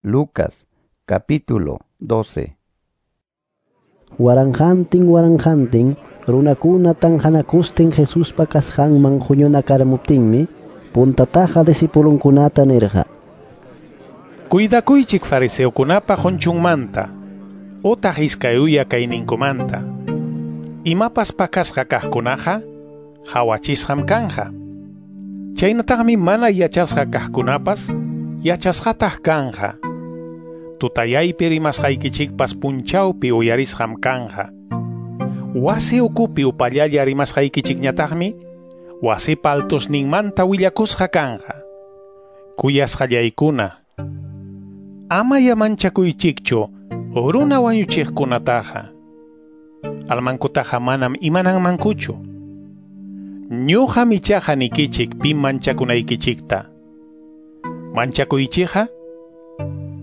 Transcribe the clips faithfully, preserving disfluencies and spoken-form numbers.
Lucas capítulo doce. Waranqantin waranqantin runakuna tanqanakustin Jesuspa kasqanman huñunakaramuptinmi puntataqa discipulunkunata nirqa: Cuidakuychik fariseokunapa qunchunmanta, utaq iskay uya kayninkumanta. Imapas pakasqa kaqkunaqa qhawachisqam kanja. Chaynataqmi mana yachasqa kaqkunapas yachasqataq kanja. Tutayaypi rimasqaykichikpas punchawpi uyarisqam kanja. Wasi ukupi upallalla rimasqaykichikñataqmi wasipa altosninmanta willakusqa kanja. Kuyasqallaykuna, amaya manchakuychikchu runa wañuchiqkunataqa. Almankutaqa manam imananmankuchu. Ñuqam ichaqa nikichik pim manchakunaykichikta. Manchakuychikqa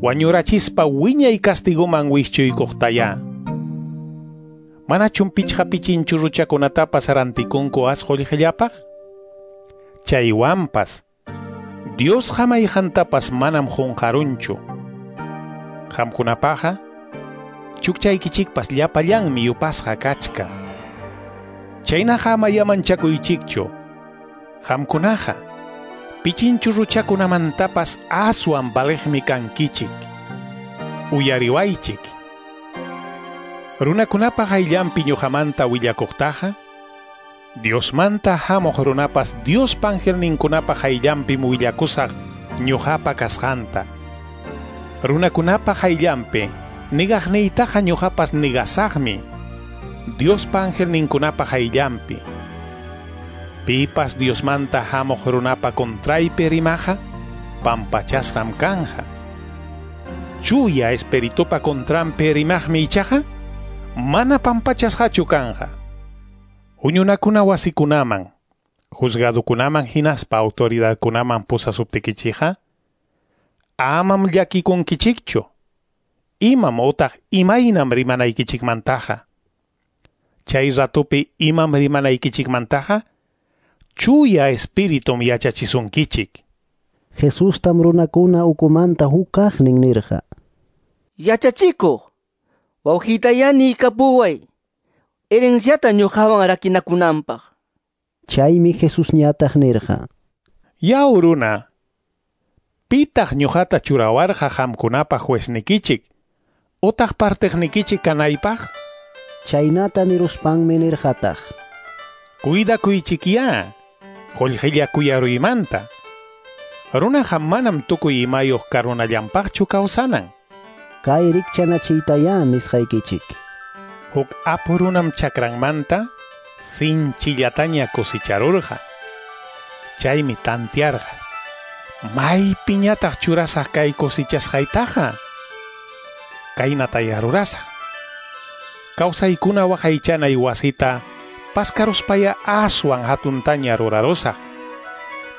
wañurachispa wiñay castiguman wischuykuqtaya. Manachum pichqa pichinchurruchakunatapas rantikunku as qullqillapaq? Chaywanpas Diosqa mayqantapas manam qunqarunchu. Qamkunapaqqa chukchaykichikpas llapallanmi yupasqa kachkan. Chaynaqa amaya manchakuychikchu. Qamkunaqa pichinchurruchakunamantapas aswan valiqmi kankichik. Uyariwaychik. Runakunapa qayllanpi ñuqamanta willakuqtaqa, Diosmanta hamuq runapas Diospa angelninkunapa qayllanpim willakusaq ñuqapa kasqanta. Runakunapa qayllanpi nigaqniytaqa ñuqapas nigasaqmi Diospa angelninkunapa qayllanpi. Pipas Diosmanta hamuq runapa contraypi rimaqa pampachasqam kanja. Chuya espiritupa contranpi rimaqmi ichaqa mana pampachasqachu kanja. Huñunakuna wasikunaman, juzgadukunaman hinaspa autoridadkunaman pusasuptikichikqa, amam llakikunkichikchu. Imam utaq imaynam rimanaykichikmantaqa. Chay ratupi imam rimanaykichikmantaqa, chuya espiritum yachachisunkichik. Jesustam runakuna ukumanta hukaqnin nirqa: Yachachikuq, wawqiytayá niykapuway, herenciata ñuqawan rakinakunanpaq. Chaymi Jesusñataq nirqa: Yaw runa, pitaq ñuqata churawarqa qamkunapa jueznikichik, utaq partiqnikichik kanaypaq? Chaynata niruspanmi nirqataq: Cuidakuychikyá qullqilla kuyaruymanta. Runaqa manam tukuy imayuq karunallanpaqchu kawsanan. Kay rikchanachiytayá nisqaykichik. Huk apu runam chakranmanta sinchillataña cosecharurqa. Chaymi tantiarqa: maypiñataq churasaq kay cosechasqaytaqa? Kaynataya rurasaq. Kawsaykuna waqaychanay wasita paskaruspaya aswan hatuntaña rurarusaq.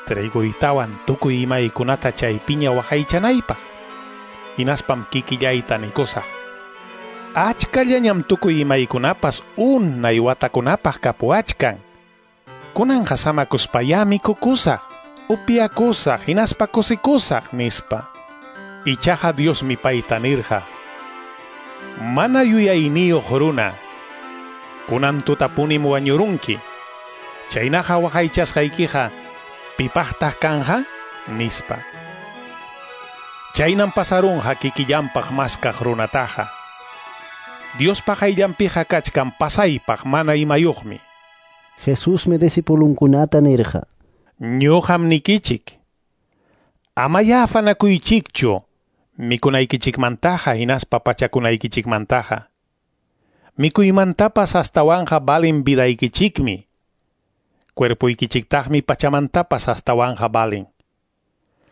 Triguytawan tukuy imaykunata chaypiña waqaychanaypaq. Hinaspam kikillayta nikusaq: achkallañam tukuy imaykunapas unay watakunapaq kapuwachkan. Kunanqa samakuspayá mikukusaq, upiakusaq, hinaspa kusikusaq, nispa. Ichaqa Diosmi payta nirqa: mana yuyayniyuq runa, kunan tutapunim wañurunki. Chaynaqa waqaychasqaykiqa pipaqtaq kanja? Nispa. Chaynam pasarunqa kikillanpaq maskaq runataqa. Diospa qayllanpiqa kachkan pasaypaq mana imayuqmi. Jesusmi discipulunkunata nirqa: Ñuqam nikichik, amaya afanakuychikchu mikunaykichikmantaqa hinaspa pachakunaykichikmantaqa. Mikuymantapas astawanqa valin vidaykichikmi. Cuerpuykichiktaqmi pachamantapas astawanqa valin.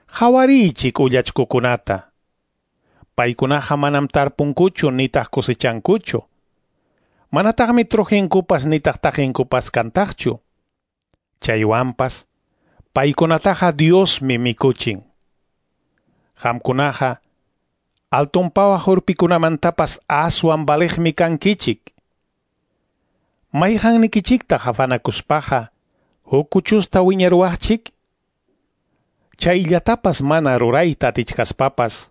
Qhawariychik ullachkukunata. Paykunaqa manam tarpunkuchu nitaq cosechankuchu. Manataqmi trujinkupas nitaq taqinkupas kantaqchu. Chaywanpas paykunataqa Diosmi mikuchin. Qamkunaqa altunpawaq urpikunamantapas aswan valiqmi kankichik. Mayqannikichiktaq afanakuspaqa huk kuchusta wiñaruwaqchik? Chayllatapas mana rurayta atichkaspapas,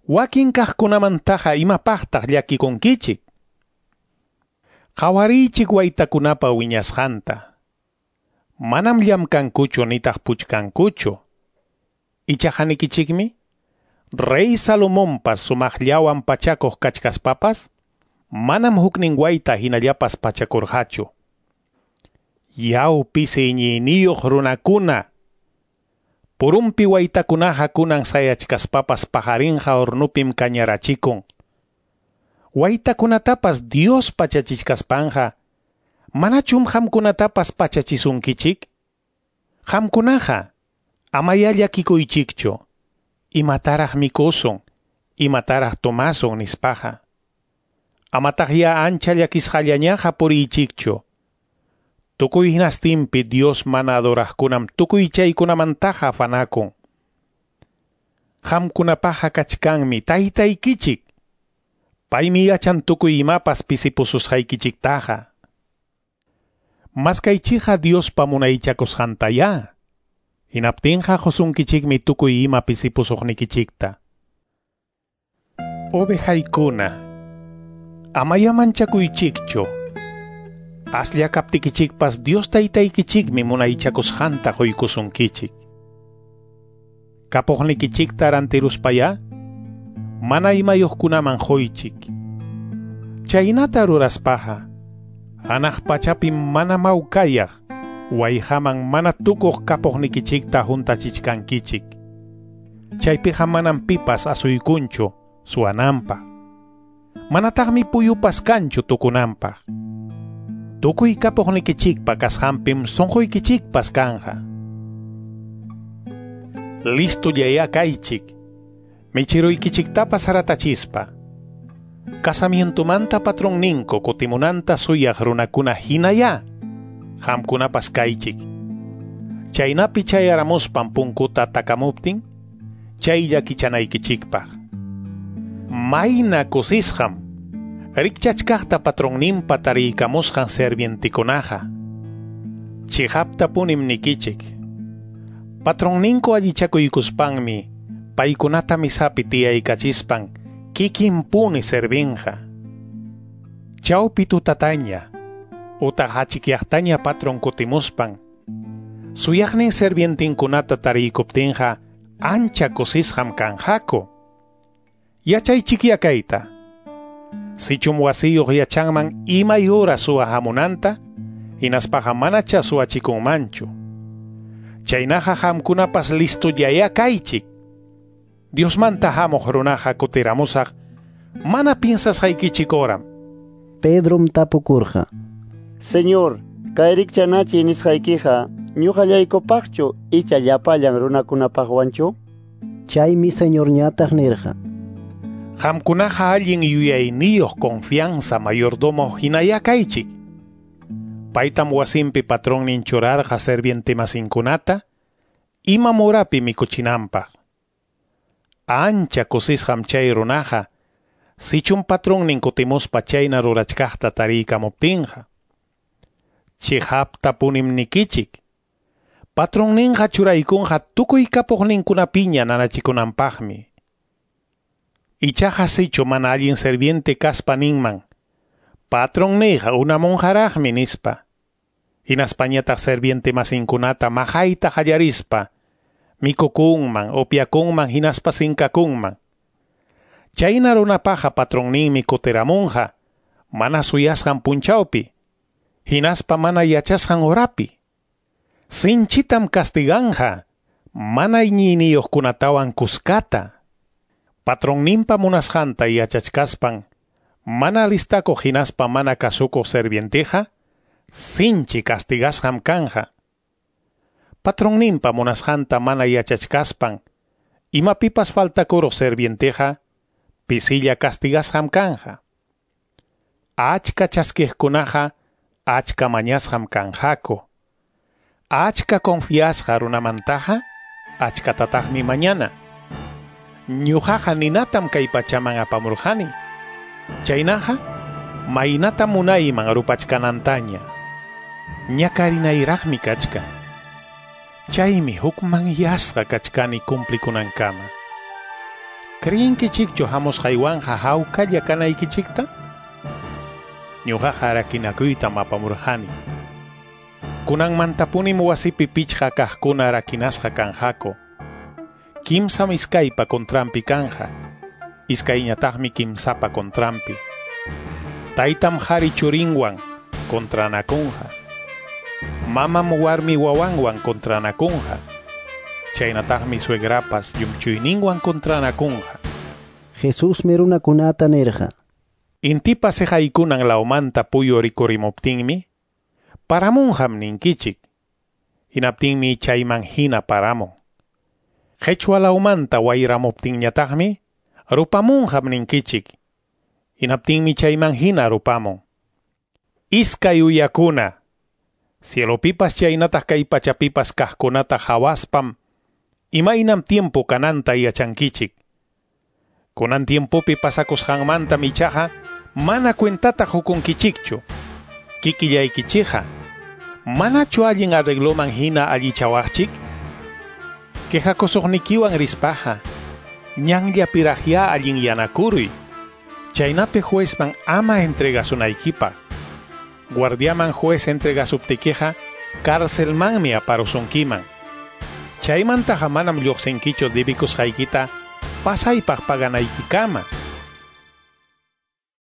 Wakin kaqkunamantaqa imapaqtaq llakikunkichik? Qawariychik waytakunapa wiñasqanta. Manam llamkankuchu nitaq puchkankuchu. Ichaqa nikichikmi, Rey Salomonpas sumaqllawan pachakuq kachkaspapas, manam huknin wayta hinallapas pachakurqachu. Yaw pisi iñiyniyuq runakuna! Purumpi waytakunaqa kunan sayachkaspapas paqarinqa hornupim kañarachikun. Waytakunatapas Dios pachachichkaspanqa, manachum qamkunatapas pachachisunkichik? Qamkunaqa amaya llakikuychikchu, imataraq mikusun, imataraq tomasun nispaqa. Amataqya ancha llakisqallañaqa puriychikchu. Tukuy hinastinpi Dios mana adoraqkunam tukuy chaykunamantaqa afanakun. Qamkunapaqa kachkanmi taytaykichik. Paymi yachan tukuy imapas pisipususqaykichiktaqa. Maskaychikqa Diospa munaychakusqantayá. Hinaptinqa qusunkichikmi tukuy ima pisipusuqnikichikta. Ovejaykuna, amaya manchakuychikchu. Aslla kaptikichikpas Dios taytaykichikmi munaychakusqanta quykusunkichik. Kapuqnikichikta rantiruspayá, mana imayuqkunaman quychik. Chaynata ruraspaqa, hanaq pachapim mana mawkayaq, wayqaman mana tukuq kapuqnikichikta huntachichkankichik. Chaypiqa manam pipas asuykunchu suwananpaq. Manataqmi puyupas kanchu tukunanpaq. Tukuy kapuqnikichikpa kasqanpim sunquykichikpas kanqa. Listullayá kaychik, michiruykichiktapas haratachispa. Casamientomanta patronninku kutimunanta suyaq runakuna hinayá, qamkunapas kaychik. Chaynapi chayaramuspan punkuta takamuptin, chaylla kichanaykichikpaq. Mayna kusisqam, rikchachkaqta patronninpa tariykamusqan servientikunaqa. Chiqaptapunim nikichik. Patronninku allichakuykuspanmi, paykunata misapi tiyaykachispan, kikinpuni servinqa. Chawpi tutataña, utaq achikyaqtaña patron kutimuspan, suyaqnin servientinkunata tariykuptinqa ancha kusisqam kanqaku. Yachaychikya kayta. Sichum wasiyuq yachanman imay hora suwa hamunanta, hinaspaqa manacha suwachikunmanchu. Chaynaqa qamkunapas listullayá kaychik. Diosmanta hamuq runaqa kutiramusaq, mana piensasqaykichik horam. Pedrom tapukurqa: Señor, kay rikchanachiy nisqaykiqa ñuqallaykupaqchu icha llapallan runakunapaqwanchu? Chaymi Señorñataq nirqa: Qamkunaqa allin yuyayniyuq confianza mayordomo hinayá kaychik. Paytam wasinpi patronnin churarqa servientemasinkunata imam horapi mikuchinanpaq. Ancha kusisqam chay runaqa, sichum patronnin kutimuspa chayna rurachkaqta tariykamuptinqa. Chiqaptapunim nikichik. Patronninqa churaykunqa tukuy kapuqninkunapiña nanachikunanpaqmi. Ichaqa sichu mana allin serviente kaspa ninman, patronniyqa unamunqaraqmi nispa. Hinaspañataq serviente masinkunata maqayta qallarispa, mikukunman, upyakunman, hinaspa sinkakunman. Chayna runapaqa patronninmi kutiramunqa, mana suyasqan punchawpi, hinaspa mana yachasqan horapi. Sinchitam castiganqa, mana iñiyniyuqkunatawan kuskata. Patronninpa munasqanta yachachkaspan, mana alistakuq hinaspa mana kasukuq servienteqa, sinchi castigasqam kanja. Patronninpa munasqanta mana yachachkaspan, imapipas faltakuruq servienteqa, pisilla castigasqam kanja. Achka chaskiqkunaqa, achka mañasqam kanqaku. Achka confiasqa runamantaqa, achkatataqmi mañana. Ñuqaqa ninatam kay pachaman apamurqani. Chaynaqa, maynatam munayman rupachkanantaña. Ñakarinayraqmi kachkan. Chaymi hukmanyasqa kachkani cumplikunankama. Creyinkichikchu hamusqaywanqa hawkalla kanaykichikta? Ñuqaqa rakinakuytam apamurqani. Kunanmantapunim wasipi pichqa kaqkuna rakinasqa kanqaku. Kimsam iskaypa contranpi kanja, iskayñataqmi kimsapa contranpi. Taytam qhari churinwan contranakunqa. Mamam warmi wawanwan contranakunqa. Chaynataqmi suegrapas llumchuyninwan contranakunqa. Jesusmi runakunata nirqa: Intipa siqaykunan lawmanta puyu rikurimuptinmi, paramunqam ninkichik. Hinaptinmi chayman hina paramun. Qhichwa lawmanta wayramuptinñataqmi, rupamunqam ninkichik. Hinaptinmi chayman hina rupamun. Iskay uyakuna, cielopipas chaynataq kay pachapipas kaqkunata hawaspam, imaynam tiempo kananta yachankichik. Kunan tiempopi pasakusqanmantam ichaqa mana cuentata hukunkichikchu. Kikillaykichikqa, manachu allin arregloman hina allichawaqchik? Quejakusuqnikiwan rispaqa, ñanllapiraqya allinyanakuruy. Chaynapi juezman ama entregasunaykipaq. Guardiaman juez entregasuptikiqa, carcelmanmi aparusunkiman. Chaymantaqa manam lluqsinkichu debikusqaykita pasaypaq paganaykikama.